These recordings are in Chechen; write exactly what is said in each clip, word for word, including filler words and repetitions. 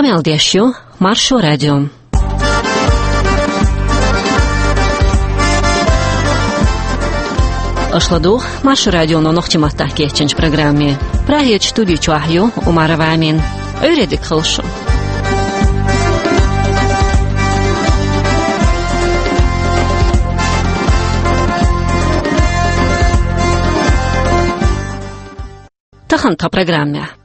Къамел деш ю Маршо радио. Аша ладугӀу Маршо радионо нохчийн маттахь кечйинчу программе. Прагерчу студи чохь ю Умарова Амина. Ӏуьйре дика хуьлда шун. Тахана тхан программехь.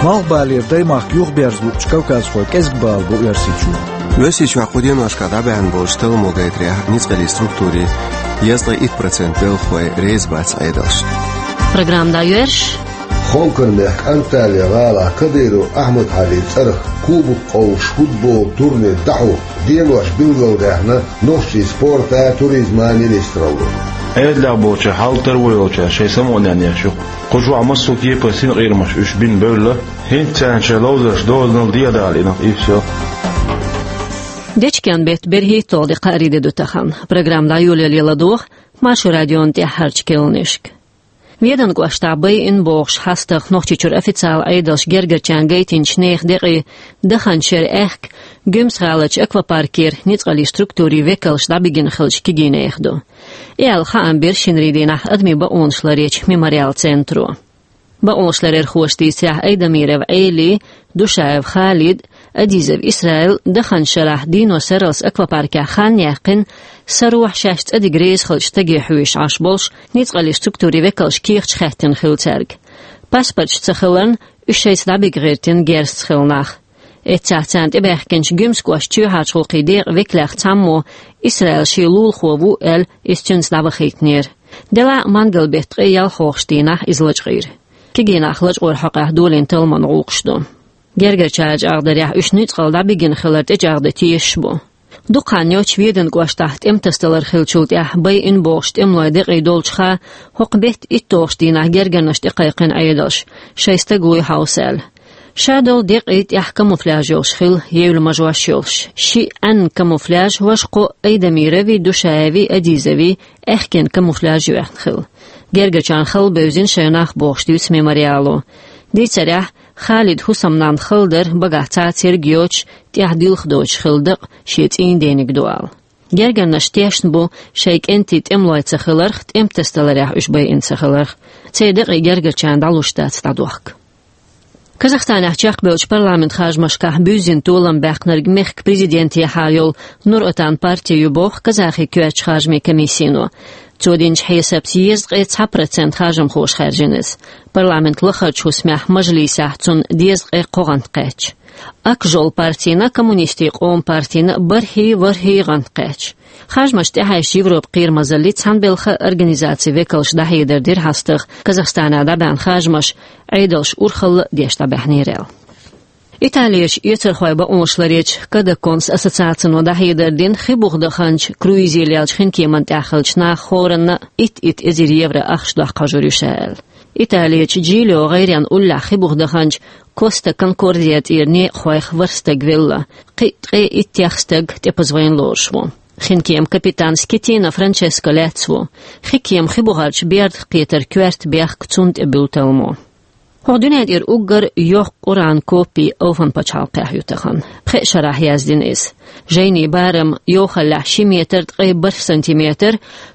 Малхбалера даймахка юхаберза луучу кавказхойн кӀезиг бала бу Оьрсийчохь. Оьрсийчохь кху деношкахь дӀабаьхна болчу талламо гайтарехь, ницкъаллин структурийн дезткъе итт процент белхалой реза бац Ӏедалшна. Программа дӀайоьрзуш. Хонкаран мехкан Анталия гӀалахь Кадыров Ахьмад-Хьалин цӀарах кубок къовсуш футбол турнир дӀахьо денош билгалдаьхна нохчийн спорта а, туризма а министралло. Ӏедалехь болчара хьал таро йолчара шайн самукъане еш ю. Кху чохь массо а кепара синкъерамаш уьш бина бевлла, хӀинца царна шайн ловзарш дозанал дехьадалийнарг и всё. Дечкен беттан берхӀитталгӀа де, кхаарин де ду тахана. Программа дӀайолале ладогӀа Маршо радион тӀаьххьарчу керланашка. Веданан кӀоштахь байина бохуш хьастагӀа Нохчийчуьра официалан Ӏедалша гергарчарна гайтинчу нехан декъий даханчу шеран аьхка Гуьмсан-гӀаларчу аквапаркера ницкъаллин структурийн векалш дӀабигина хиллачу кегийчу нехан ду. И аьлла хаам бира шинарин дийнахь адамийн бакъонаш ларъечу Мемориал центро. Бакъонашларъярхоша дийцарехь, Айдамиров Ӏелин, Душаев Халидан, Адизов Исраилан даханчу шарахь дийно сарралц аквапаркехь хан яьккхина, сарахь шаьш цӀа дига реза хиллачу стаге хьоьжуш Ӏаш болуш, ницкъаллин структурийн векалша кехаташ хаьттина хилла цаьрга. Паспорташ ца хиларна, уьш шайца дӀабига гӀиртина герзаца хилла нах. Эццахь царна тӀебаьхкинчу Гуьмсан кӀоштан чоьхьарчу гӀуллакхийн декъан векалех цхьаммо Исраил шен лулахо ву аьлла, иза цуьнца дӀавахийтинера. Делахь а мангал-беттан ткъе ялхалгӀачу дийнахь иза лачкъийра. Кегий нах лачкъоран хьокъехь долийна талламан гӀуллакхаш ду. Гергарчара чӀагӀдарехь, уьш ницкъалла дӀабигина хилар тӀечӀагӀдан тешаш бу. Дукха хан йоццуш Веданан кӀоштахь тӀематасадалар хиллачул тӀаьхьа байина бохучу тӀемалойн декъий долчуха, хӀокху беттан итталгӀачу дийнахь гергарнаш тӀекхайкхина Ӏедалша, шайн стаг вуй хьовса аьлла. Ша долу декъий тӀехь камуфляж йолуш хилла, евлла мажош йолуш. Шиъ Ӏаьнна камуфляж, важа кхо Айдамировн, Душаевн, Адизовн аьхкенан камуфляж йоьхна хилла. Гергарчарна хала бевзина шайн нах бохуш дуьйцу Мемориало. Дийцарехь, Халидан хӀусамнанна хала дара, багахь цхьа а церг йоцуш, тӀехь дилха доцуш хилла дакъа шен цӀийнан дениг ду ала. Гергарнаш тешна бу шайн кӀентий тӀемалой ца хиларх, тӀематасадаларехь уьш байина ца хиларх. Церан декъий гергарчарна дӀалуш дац дӀадохка. Казахстанехь чекхбевллачу парламентан харжамашкахь буьззина толам баьккхинарг мехкан президентехьа йолу Нур-Отан парти ю боху казахийн коьртачу харжамийн комиссино. Цо динчу хьесапца дезткъе цхьа процент харжамхоша хаьржина иза. Парламентан лахарчу хӀусамехь, мажлисехь, цунна дезткъе кхо гӀант кхаьчна. Акжол партина, коммунистийн къоман партина бархӀ, ворхӀ гӀант кхаьчна. Харжамаш тӀехьаьжча, Европан кхерамазаллин цхьаьнабелхан организацин векалша дӀахьедар дира хьастагӀа, Казахстанехь дӀабаьхьна харжамаш Ӏедалша урхалла а деш дӀабаьхьнера аьлла. Италерчу эцархойн бакъонаш ларъечу Кадаконс ассоциацино дӀахьедар дина хи буха даханчу круизехь леллачу хинкеман тӀехь хиллачу наха хӀоранна итт-итт эзар евро ахча доккха хьожур ю ша аьлла. Италерчу Джилио гӀайренна уллехь хи буха даханчу Коста Конкордия тӀера некъахойх ворхӀ стаг велла, кхин а ткъе иттех стаг тӀепаза вайна лоруш ву. Хинкеман капитан Скетина Франческо лаьцна ву. Хинкема хи бухарчу бердах кхетаран коьрта бехк, цунна тӀе буьллу талламо. ХӀокху дуьнен тӀера уггар йоккха Къуръан копи Алфан пачхьалкхехь ю тахана. Пхеа шарахь яздина иза. Жайнин барам йовхаллехь ши метр ткъе бархӀ сантиметр,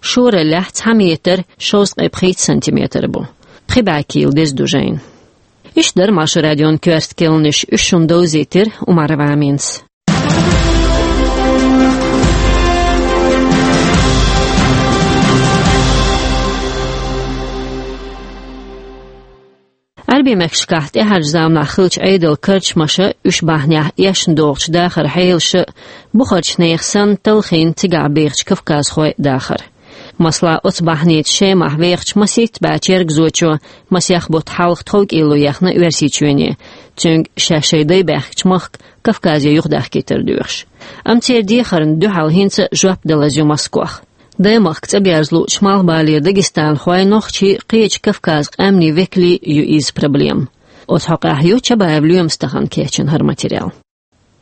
шораллехь цхьа метр шовзткъе пхийтта сантиметр бу. Пхи бӀе кийла деза ду жайна. Иштта дара Маршо радион коьрта керланаш, уьш шуна довзийтира Умарова Аминас. Ӏаьрбийн мехкашкахь тӀаьхьарчу заманахь хиллачу Ӏедалан карчамаша, уьш бахьанехь эшна догӀучу дахаран хьелаша, бухарчу нехан санна, талхийна цигахь бехачу кавказхойн дахар. Масала, оцу бахьаница Шемахь вехачу масийтта бӀе чергазочо масех бутт хьалха тховкӀело ехна Оьрсийчоьне, цуьнга шаьш шайн дай баьхкачу махка Кавказе юхадахкийтар доьхуш. Амма церан дехарна дуьхьал хӀинца а жоп далаза ю Москох. Даймахка цӀа берза луучу малхбалера дагестанхой, нохчий кхечу Кавказан къаьмнийн векалий ю иза проблема. Оцу хьокъехь ю Чабаев Лоьмас тахана кечйина хӀара материал.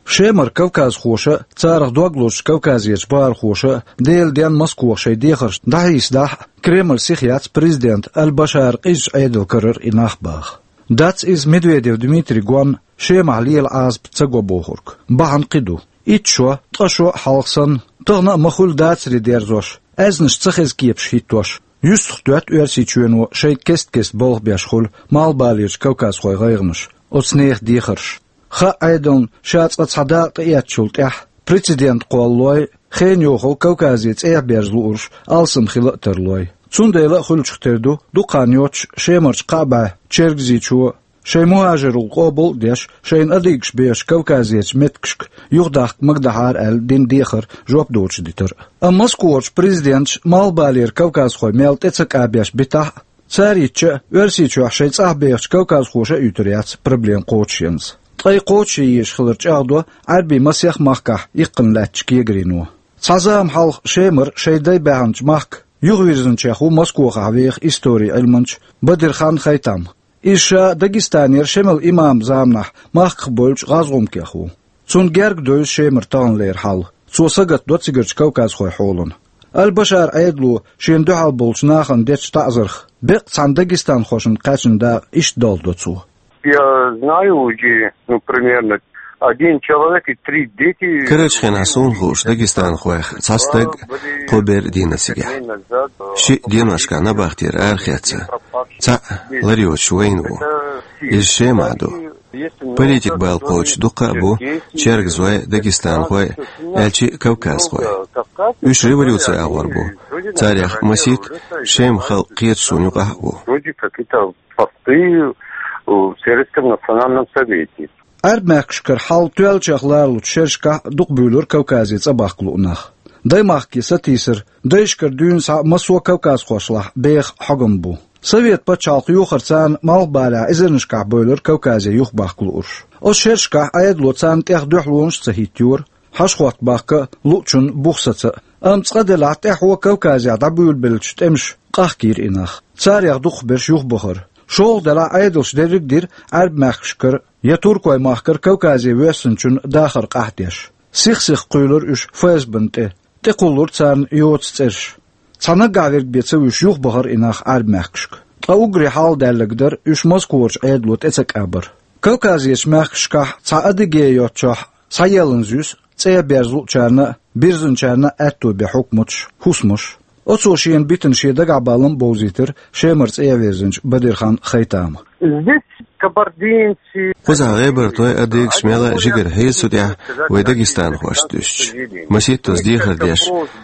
Шемара кавказхоша а, царах дог лозучу Кавказерчу бахархоша а Делан денна Москох шайн дехарш дӀахьийсадахь а, Кремль сиха яц президент Аль-Башар къизачу Ӏедал карара и нах баха. Дац иза Медведев Дмитрий гон Шемахь лела Ӏазап ца го бохург. Бахьана кхин ду. Итт шо, ткъа шо хьалха санна, тахана а ма хуьлу дацаре дерзош, аьзнаш ца хеза кепаш хӀиттош, юьстах доьтту Оьрсийчоьно шайга кест-кеста болх беш хуьлу малхбалерчу кавказхойн гӀайгӀанаш, оцу нехан дехарш. Хаьа Ӏедална ша цкъа цхьа дакъа тӀеэцначул тӀаьхьа прецедент кхоллалой, хенан йохалла Кавказе цӀе а берза луурш алсам хила а тарлой. Цундела а хуьлучух тера ду, дукха хан йоццуш Шемарчу кхаа бӀе чергазийчо, шайн мухӀажаралла къобал а деш, шайна адыгаш бехачу Кавказерчу меттигашка юхадахка магадахьара аьлла дина дехар жоп доцуш дитар. Амма Москварчу президенташа малхбалера кавказхой мел тӀе ца кӀабеш битахь а, цара йитча а, Оьрсийчохь шайн цӀахь бехачу кавказхоша а юьтур яц проблема кхочушъенза. Ткъа и кхочушъе езаш хилар чӀагӀдо Ӏаьрбийн масех махкахь иккхина лаьттачу кегарино. Цхьа зама хьалха Шемара шайн дай баьхначу махка юхавирзинчех ву Москвахь веха историн Ӏилманча Бадирхан Хайтам. Иза ша Дагестанера Шемал имам заманахь махках бевллачу гӀазгӀумкех ву. Цунна герга девза Шемара таханлера хьал. Цо сагатдо цигарчу кавказхойн хьолана. Аль-Башар Ӏедало шена дуьхьал болчу нахана дечу таӀзарх беккъа цхьана дагестанхошна кхаьчна дакъа иштта долдо цо. Я знаю уже, ну, примерно один человек и три дети. Карарчу хенахь суна хууш дагестанхойх цхьа стаг, кхо бер дина цигахь. Шиъ деношкахь набахтера арахецна, цхьаъ лар йоцуш вайна ву. Иза Шемахь ду. Политик бала кхочуш дуккха а бу чергазой, дагестанхой, аьлча а кавказхой. Уьш революци агӀор бу. Царех масийтта Шеман халкъан кхеташонан юкъахь а ву. Вроде какие-то посты в Советском национальном совете. Ӏаьрбийн мехкашкара хьал тоьллачех лоручу шерашкахь дукха буьйлура Кавказе цӀа бахка луу нах. Даймахке сатийсар дайшкара дуьйна схьа массо а кавказхошлахь беха хьогам бу. Совет пачхьалкх йохар царна малхбалехь эзарнашкахь бевлира Кавказе юхабахка луурш. Оцу шерашкахь Ӏедало царна тӀех дуьхьалонаш а ца хӀиттайора, хьажа-хӀотта бахка луучунна бух саца а. Амма цкъа делахь тӀаьхьо Кавказехь дӀабуьйлабеллачу тӀемаша къахкийра и нах. Царех дукхахберш юхабахара. ШолгӀа делахь Ӏедалша дерриг а дира Ӏаьрбийн мехкашкара я туркойн махкара Кавказе воьссинчун дахар къахьдеш. Сих-сиха кхуьйлура уьш ФСБ-на тӀе. ТӀекхуллура царна йоцу цӀераш. Цхьа наггахь верг бен ца вуьсуш юхабахара и нах Ӏаьрбийн мехкашка. Ткъа уггаре хьалха даьлларг дара уьш Москварчу Ӏедало тӀе ца кӀабар. Кавказерчу мехкашкахь цхьа Адыгея йоцчохь схьаелланза юьсу цӀе а берза луучарна а, бирзинчарна а аьтто бен хьукматаш, хӀусамаш. Оцо шена битина шен дагахь баллам а бовзийтира Шемара цӀе а вирзинчу Бадирхан Хайтама. Здесь кабардинцы. Кхузахь гӀебартой, адыгаш мел а жигара хьийза цу тӀехь вай дагестанхошца дуьстича. Масийттаза дехар деш,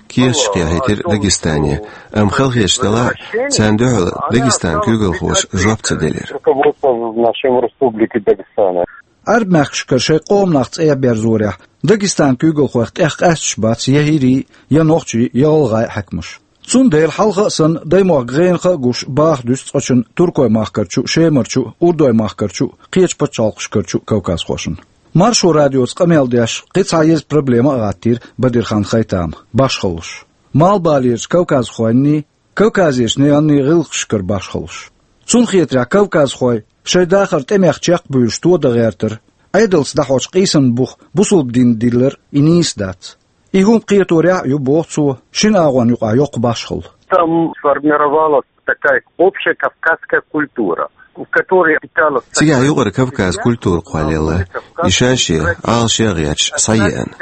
кехаташ кхехьийтира Дагестане, амма халахеташ делахь а, царна дуьхьал Дагестанан куьйгалхоша жоп ца делира. Руководство нашей республики Дагестана. Ӏаьрбийн мехкашкара шайн къоман нах цӀе а берзорехь, Дагестанан куьйгалхойх тӀех къаьсташ бац я хӀирийн, я нохчийн, я гӀалгӀайн хьаькамаш. Цундела хьалха а санна, даймохк гӀенах а гуш, баха дуьсу цкъачунна туркойн махкарчу а, Шемарчу а, урдойн махкарчу а, кхечу пачхьалкхашкарчу а кавказхошна. Маршо радиоца къамел деш, кхин цхьа еза проблема а гӀаттийра Бадирхан Хайтама: башхаллаш. Малхбалерчу кавказхойнний, Кавказерчу наханий гӀиллакхашкара башхаллаш. Цунна хетарехь, кавказхой шайн дахар тӀемех чекхбуьйлуш тодан гӀертар, Ӏедалца дӀахьочу къийсаман бух бусалба динна диллар, и нийса дац. И хӀума кхеторехь а ю, боху цо, шина агӀонна юкъахь йоккха башхалла. Там сформировалась такая общая кавказская культура, в которой питалась... Цигахь юкъара Кавказ культура кхоллаелла, и ша-шен, Ӏалашъеш а гӀерташ схьаеана.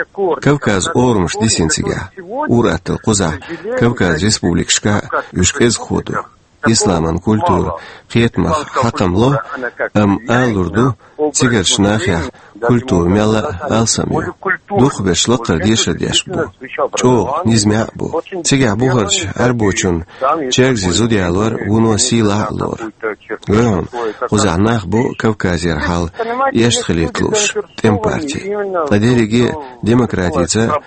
Кавказан орамаш дисина цигахь. Ур-атталла кхузахь, Кавказан республикашкахь а уьш кӀезигхо ду. Исламан культура кхетамах хьакхам ло, амма ала лур ду, цигарчу нахехь культура мелла а алсам ю. Дукхахберш лакхара дешар деш бу. ЧӀогӀа низамехь а бу. Цигахь бухарчу Ӏаьрбочун чергазийн зуда ялор вуно сийлахь а лору. Вай хьуна, кхузахь нах бу Кавказера хьал эшна хилийта лууш, тӀеман парти. Ткъа дерриге а демократица,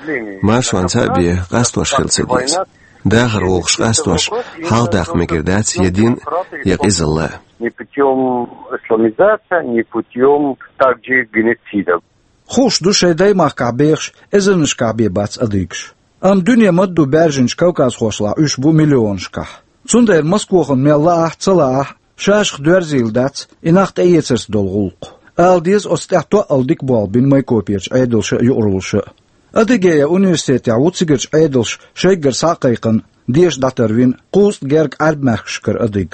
маршонца а бен къастош хила ца деза. Дахар вовхаш къастош хьалхадаккха мегар дац я дин, я къизалла. Ни путём исламизации, ни путём также геноцида. Хууш ду шайн даймахкахь бехаш эзарнашкахь бен бац адыгаш. Амма дуьне ма-дду баьржинчу кавказхошлахь уьш бу миллионашкахь. Цундела Москвахана мел лаахь а, ца лаахь а, шашах доьрзийла дац и нах тӀеэцарца долу гӀуллакх. Ала деза, оцу тӀехь тоъал дика болх бина Майкоперчу Ӏедалша а, юкъараллаша а. Адыгея университетехь ву цигарчу Ӏедалша шайгара схьа а кхайкхина, деша дӀатарвина кхузткъа гергга Ӏаьрбийн мехкашкара адыг.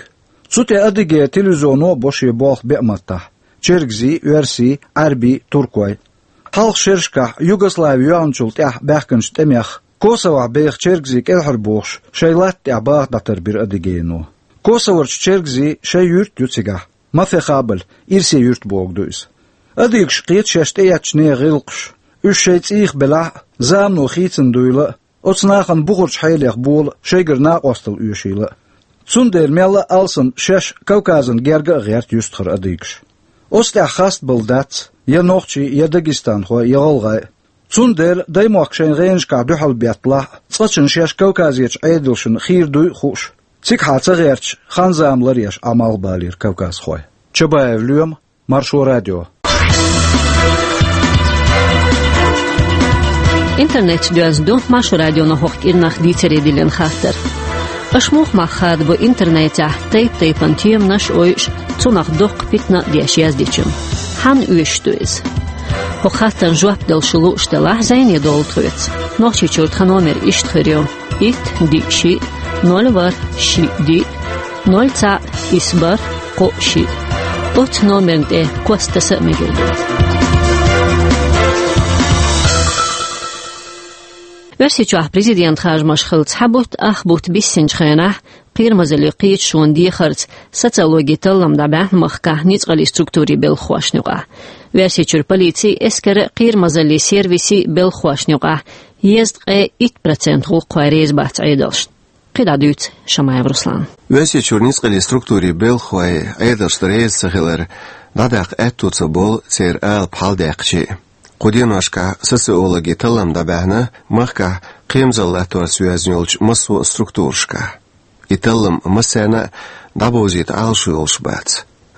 Цу тӀе Адыгейн телевизионо а бо шен болх беа маттахь: чергазий, оьрсий, Ӏаьрбий, туркой. Хьалха шерашкахь Югослави йоьлхначул тӀаьхьа баьхкинчу тӀемех Косовохь беха чергазий кӀелхьарбохуш, шайн латта тӀехь баха дӀатарбира Адыгейно. Косоварчу чергазийн шайн юрт ю цигахь, Мафехабль, ирсе юрт бохург ду иза. Адыгаш кхета шаьш тӀеэцначу нехан гӀиллакхаш, уьш шайн цӀийх белахь а, замано хийцина дуйла а, оцу нахана бухарчу хьелех бола а, шайгара накъосталла оьшийла а. Цундела мелла а алсам шаьш Кавказан герга а гӀерта юьстахара адыгаш. Оцу тӀехь хастабала дац я нохчий, я дагестанхой, я гӀалгӀай а. Цундела даймохк шайн гӀенашкахь дуьхьал бетталахь а, цкъачунна шаьш Кавказерчу Ӏедалшна хийра дуй а хууш, цигахьа ца гӀерташ, хан-зама ларъеш Ӏа малхбалийра кавказхой. Чабаев Лоьма, Маршо радио. Интернет доьзна ду Маршо радионо хӀокху кӀирнах дийцаре диллина хаттар. Аша муха мах хадабо интернетехь тайп-тайпана теманаш а ойуш, цунах доккха питана а деш яздечунна? Хьанна оьшуш ду иза? ХӀокху хаттарна жоп дала шу лууш делахь, зӀене довла тхоьца. Нохчийчуьра тхан номер иштта хир ю: итт, диъ, шиъ, ноль, ворхӀ, шиъ, диъ, ноль, цхьаъ, исс, бархӀ, кхоъ, шиъ. Оцу номерна тӀе кост таса а мегар ду. Оьрсийчохь президент харжамаш хилла цхьа бутт, ах бутт биссинчу хенахь, кхерамазаллин кхеташонан дехарца социологин таллам дӀабаьхьна махкахь ницкъаллин структурийн белхахошна юкъахь. Оьрсийчуьра полицин, эскаран а, кхерамазаллин сервисан а белхахошна юкъахь езткъе итт процент гӀуллакххой реза бац Ӏедалшна. КхидӀа дуьйцу Шамаев Руслана. Оьрсийчуьра ницкъаллин структурийн белхахой Ӏедалшна реза ца хилар дӀадаккха аьтто ца болу церан алапа хьаладаьккхича а. Кху деношкахь социологин таллам дӀабаьхьна махкахь кхерамазалла латторца йоьзна йолчу массо а структурашкахь. И таллам массарна а дӀабовзийта Ӏалашо йолуш бац.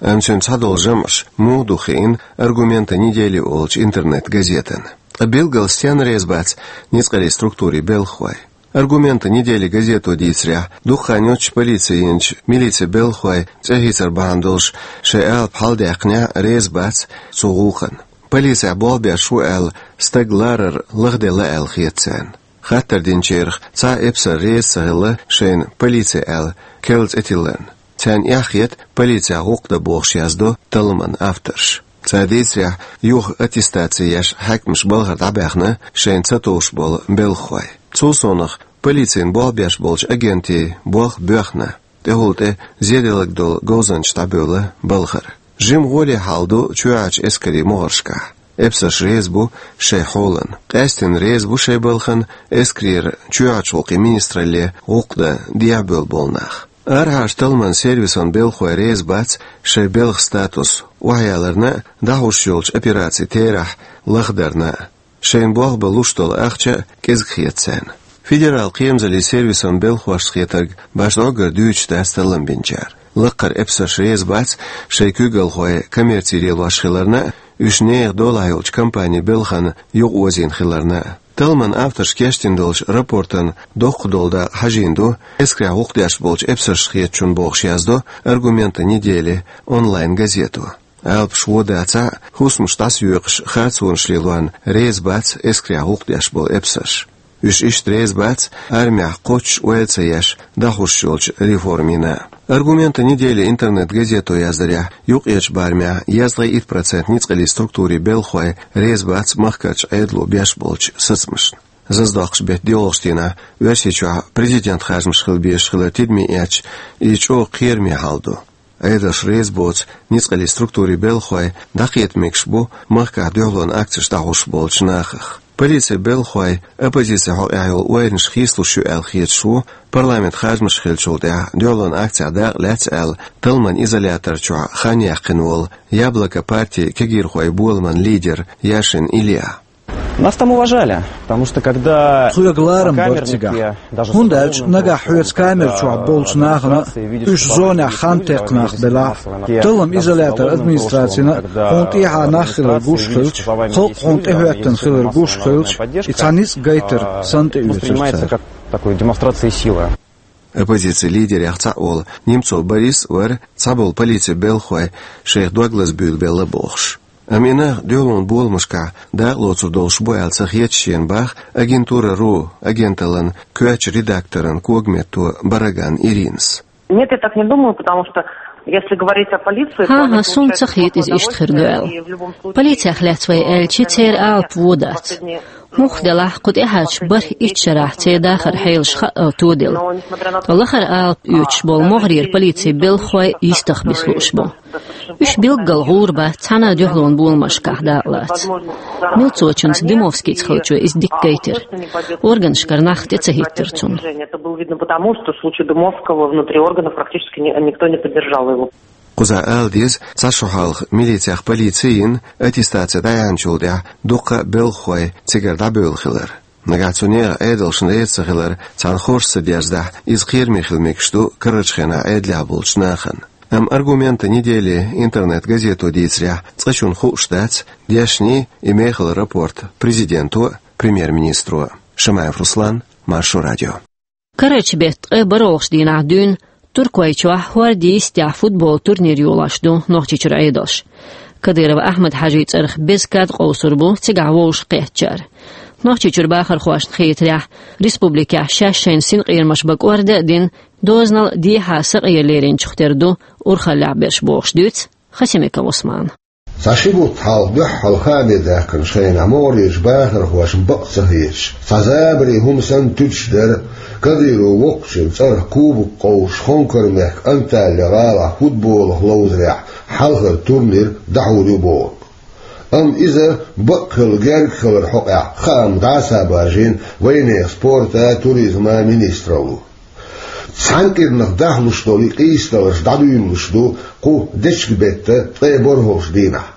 Амма цуьнан цхьадолу жамӀаш муха ду хиъна «Аргументы недели» олучу интернет-газетана. Ткъа билггал стенна реза бац ницкъаллин структурийн белхахой? «Аргументы недели» газето дийцарехь, дукха хан йоццуш полици йинчу милицин белхахой цӀе хийцар бахьана долуш шайн алапа хьаладаьккхинехь а, реза бац цу гӀуллакхна. Полицехь болх беш ву аьлла стаг ларар лахделла аьлла хета царна. Хаттар динчарах цхьа а эпсар реза ца хилла шайна полици аьлла керла цӀе тилларна. Царна эхь хета полицехь гӀуллакх дан бохуш, яздо талламан авторша. Цара дийцарехь, юха аттестаци еш хьаькамаша балхара дӀабаьхна шайна ца товш болу белхахой. Цул совнаха, полицина болх беш болчу агентийн болх боьхна, тӀехула тӀе зеделларг долу говзанчаш дӀабевлла балхара. Жима гӀоле хьал ду чоьхьарчу эскарийн могӀаршкахь. Эпсарш реза бу шайн хьолана. Къаьсттина реза бу шайн балхана эскарера чоьхьарчу гӀуллакхийн министралле гӀуллакх дан дехьабевлла болу нах. Арахьарчу талламан сервисан белхахой реза бац шайн белхан статус охьаяларна а, дӀахьуш йолчу операцийн терахь лахдарна а. Шайна болх бан луш долу ахча а кӀезиг хета царна. Федералан кхерамазаллин сервисан белхахошна хетарг башха дӀоггара дуьйцуш дац таллам бинчара. Лаккхара эпсарш реза бац шайн куьйгалхой коммерци лелош хиларна а, уьш нехан долахь йолчу компанийн белхана юкъаозийна хиларна а. Талламан авторша кечдина долчу рапортан доккха долу дакъа хьажийна ду эскарехь гӀуллакх деш болчу эпсаршна хетачунна бохуш, яздо «Аргументы недели» онлайн-газето. Алапаш вон дацахь а, хӀусамаш дӀасаоькъуш харцонаш лелорна реза бац эскарехь гӀуллакх деш болу эпсарш. Уьш иштта реза бац армехь кхоччуш ойла ца еш дӀахьуш йолчу реформина. «Аргументы недели» интернет-газето яздарехь, юккъерчу барамехь езткъе итт процент ницкъаллин структурийн белхахой реза бац махкарчу Ӏедало беш болчу сацамашна. Зазадоккхуш беттан диъолгӀачу дийнахь Оьрсийчохь президент харжамаш хила безаш хилар тидаме эцча, иза чӀогӀа кхераме хьал ду. Ӏедалшна реза боцу ницкъаллин структурийн белхахой дӀакхета мегаш бу махкахь дуьхьалонан акцеш дӀахьуш болчу нахах. Полицин белхахой оппозицин хьокъехь йолу ойланаш хийцалуш ю аьлла хеташ ву парламентан харжамаш хиллачул тӀаьхьа дуьхьалонан акцехь дакъа лаьцна аьлла талламан изолятор чохь хан яьккхина волу «Яблоко» партин кегийрхойн боламан лидер Яшин Илья. Нас там уважали, потому что когда... Тхоьга ларам бара цигахь. ХӀунда аьлча нагахь хьоьца камер чохь болчу нахана а, уьш зонехь хан текхна нах белахь а, таллам изолятор администрацина а хьуна тӀехьа нах хилар гуш хилча, халкъ хьуна тӀехӀоьттина хилар гуш хилча, и цхьа ницкъ гайтар санна тӀеоьцура цара. Такой демонстрации силы. Оппозицин лидерех цхьаъ волу Немцов Борис вара цхьаболу полицин белхахой шайх дог лазабуьйлабелла бохуш. Амма и нах дуьхьалонан боламашкахь дакъа лоцур долуш бу аьлла ца хета шена, боху «Агентура ру» агенталлан коьртачу редакторан когаметто Бараган Иринас. Нет, я так не думаю, потому что Если говорить о полиции, то... ХӀан-хӀа, суна ца хета иза иштта хир ду аьлла. Полицех лаьцна вай аьлча, церан алапа вон дац. Муха делахь, кху тӀаьхьарчу бархӀ-итт шарахь церан дахаран хьелаш хаъал тоделла. Ткъа лахара алапа оьцуш болу могӀарера полицин белхахой йистах биса лууш бу. Уьш билггал гӀур бац цхьана а дуьхьалонан боламашкахь дакъалаца. Милцочунца Дымовскийца хиллачо иза дика гайтира. Органашкара нах тӀе ца хӀиттира цунна. Это было видно потому, что в случае Дымовского внутри органов практически ни-, никто не поддержал его. Кхузахь ала деза, цхьа шо хьалха милицех полици йина, аттестаци дӀаяьхьначул тӀаьхьа дуккха а белхахой цигара дӀабевлла хилар. Нагахь цу нехан Ӏедалшна реза ца хилар цхьана хорша ца дерзадахь, иза кхераме хила мегаш ду карарчу хенахь Ӏедалехь болчу нахана. Амма «Аргументы недели» интернет-газето дийцарехь, цкъачунна хууш дац дешнийн и мехала рапорт президенто а, премьер-министро а. Шамаев Руслан, Маршо радио. Карарчу беттан ткъе бархӀолгӀачу дийнахь дуьйна Туркойчохь хӀордан йистехь футболан турнир йолош ду Нохчийчуьра Ӏедалш. Кадыров Ахьмад-Хьажин цӀарах беза кад къовсур бу цигахь вовшахкхеттачара. Нохчийчуьра бахархошна хетарехь, республикехь шаьш шайна синкъерамаш бан кӀорда а дина, дозанал дехьа сакъера леринчух тера ду урхаллехь берш, бохуш дуьйцу Хасимиков Ӏусмана. Цхьа ши бутт хьалха дуьххьал хаамехь даьккхинчу хенахь могӀарерчу бахархошна бакъ ца хеташ, цхьа забаре хӀума санна туьдуш дара Кадыровн воккхачун цӀарах кубок къовсуш Хонкар-мехкан Анталья-гӀалахь футболах ловзарехь хьалхара турнир дӀахьур ю бохург. Амма иза бакъ хилла герга хиларан хьокъехь хаам дӀа а ца баржийна вайнехан спорта а, туризма а министралло. Цхьана кӀирнах дахлуш долу и къийсадаларш дӀадуьйлалуш ду кху дечиган беттан ткъе бархӀолгӀачу дийнахь.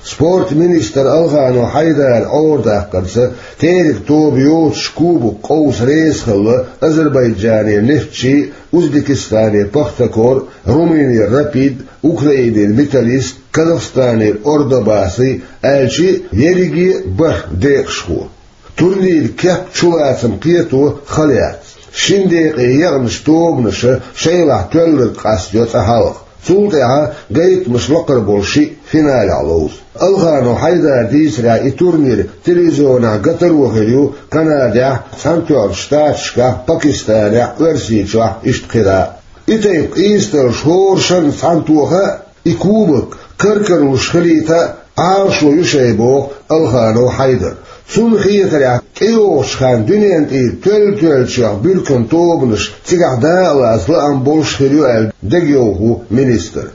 Спортан министр Алханов Хьайдара Ӏорадаккхарца, теркан тоба йоцуш кубок къовса реза хилла Азербайджанера Нефтчи а, Узбекистанера Пахтакор а, Румынера Рапид а, Украинера Металлист а, Казахстанера Ордобасий а, аьлча а ерриге а бархӀ декъашхо. Турниран кеп чулацам кхето хала яц. Шина декъе екъначу тобанаша шайлахь тоьлларг къастайо цкъа хьалха. Цул тӀаьхьа гайтамаш лакхара болу шиъ финалехь ловзу. Алханов Хьайдара дийцарехь, и турнир телевизионехь гатаро хир ю Канадехь, Цхьаьнатоьхначу Штаташкахь, Пакистанехь, Оьрсийчохь, иштта кхидӀа а. И тайпа къийсадаларш хӀоранна цхьаьна тоха а, и кубок кар-карлуш хилийта а Ӏалашо ю шайн, боху Алханов Хьайдара. Цунна хетарехь, тӀейогӀучу хенахь дуьненан тӀера тоьлла-тоьллачех буьрканан тобанаш цигахь дакъалаца лаам болуш хир ю аьлла дегайовхо ву министр.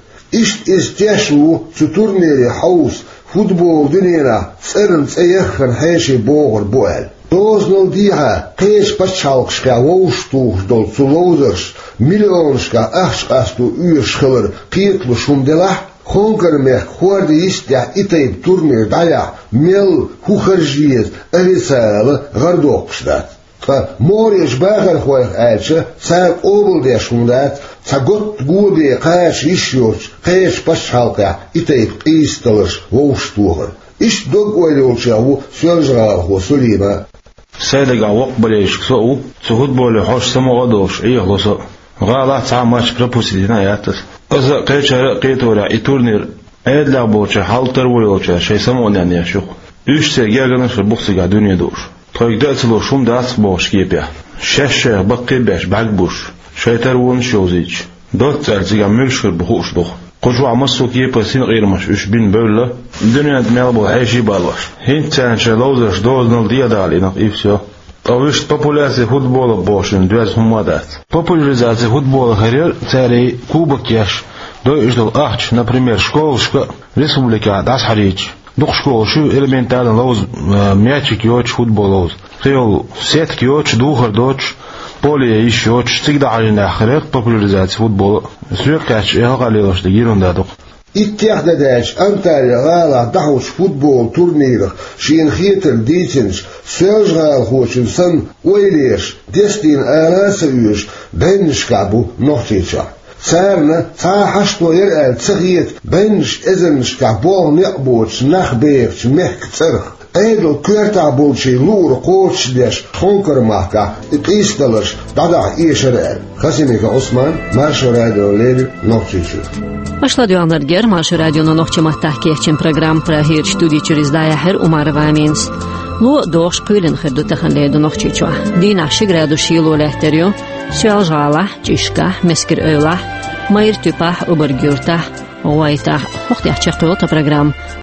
Иштта иза теш ву цу турнире хьовса, футболан дуьненахь цӀарна цӀе яххана хьеший богӀур бу аьлла. Дозанал дехьа кхечу пачхьалкхашкахь вовшахтухуш долу цу ловзарша миллионашкахь ахча къасто оьшуш хилар кхеталуш хӀума делахь а, Хонкар-мехкан хӀордан йистехь и тайпа турнир дӀаяхьа мел, хӀун харжа еза официалан гӀар доккхуш дац. Ткъа могӀарерчу бахархойх аьлча, цара къобалдеш хӀума дац цхьа готта го бен кхача йиш йоцучу кхечу пачхьалкхехь и тайпа къийсадаларш вовшахтохар. Иштта дог-ойла йолчех ву соьлжа-гӀалахо Сулима. Сайн дагахь воккха болельщик со а ву, цу футболе хьожуш самукъа а долуш, Ӏехало со а. ГӀалахь цхьа а матч пропустить дина а яц аса. Аса а, кхечара а кхеторехь, и турнир Ӏедалехь болчара, хьал-таро йолчара шайн самукъане еш ю-кх. Уьш церан гергарнаш а бу-кх цигахь дуьне дууш. Тхоьга дан а ца луш хӀума дац-кх бохучу кепехь. Шаьш шайх баккхий а беш, бӀаьрг буьзуш, шайн таронаш а йовзуьйтуш, доцца аьлла цигахь муьлш хир бу хууш ду-кх. Кху чохь массо а кепара синкъерамаш уьш бина бевлла, дуьненна тӀе мел болу хьеший а балош. ХӀинца царна шайн ловзарш дозанал дехьадала йина-кх, и всё. Ткъа вуьшта популяризация футбола бохучун доьзна хӀумма а дац. Популяризация футбола хир яра цара и кубок еш, дойуш долу ахча, например, школашка а республикехь дӀасахьажийча. Дукха школаш ю элементарно ловза, э, мячик йоцуш, футбол ловза. Кхин йолу сетка йоцуш, духар доцуш, поле йиш йоцуш, цига дӀахьажийнехь хир яра-кх популяризация футбола. Соьга кхаьчча, и хьакъ лелош дерг йина хӀума ду-кх. Иттех дан даьлча Анталья-гӀалахь дӀахьочу футболан турнирах шена хетарг дийцинчу соьлжа-гӀалахочун санна, ойла еш, дестийна ала а ца оьшу бӀеннашкахь бу Нохчийчохь. Царна цхьа а хьашто яра аьлла ца хета бӀеннаш эзарнашкахь болх-некъ боцуш нах бехачу мехкан цӀарах. Ӏедалан коьртехь болчийн луург кхочушдеш, Хонкар-махкахь и къийсадаларш дӀадахьа эшара аьлла. Хасимиков Ӏусман, Маршо радиона леррина, Нохчийчуьра. Аша ладоьгӀнарг яра Маршо радионо нохчийн маттахь кечйина программа. Прагерчу студи чуьра иза дӀаяьхьира Умарова Аминас. Ло а догӀуш, кхоьлина хир ду тахана леррина Нохчийчохь. Дийнахь ши градус шело лаьттар ю Соьлжа-ГӀалахь, ЧӀишкахь, Мескер-Эвлахь, Майра-Туьппехь, Убарг-Юртахь, ГӀойтахь. ХӀокху тӀехь чекхйолу тхан программа.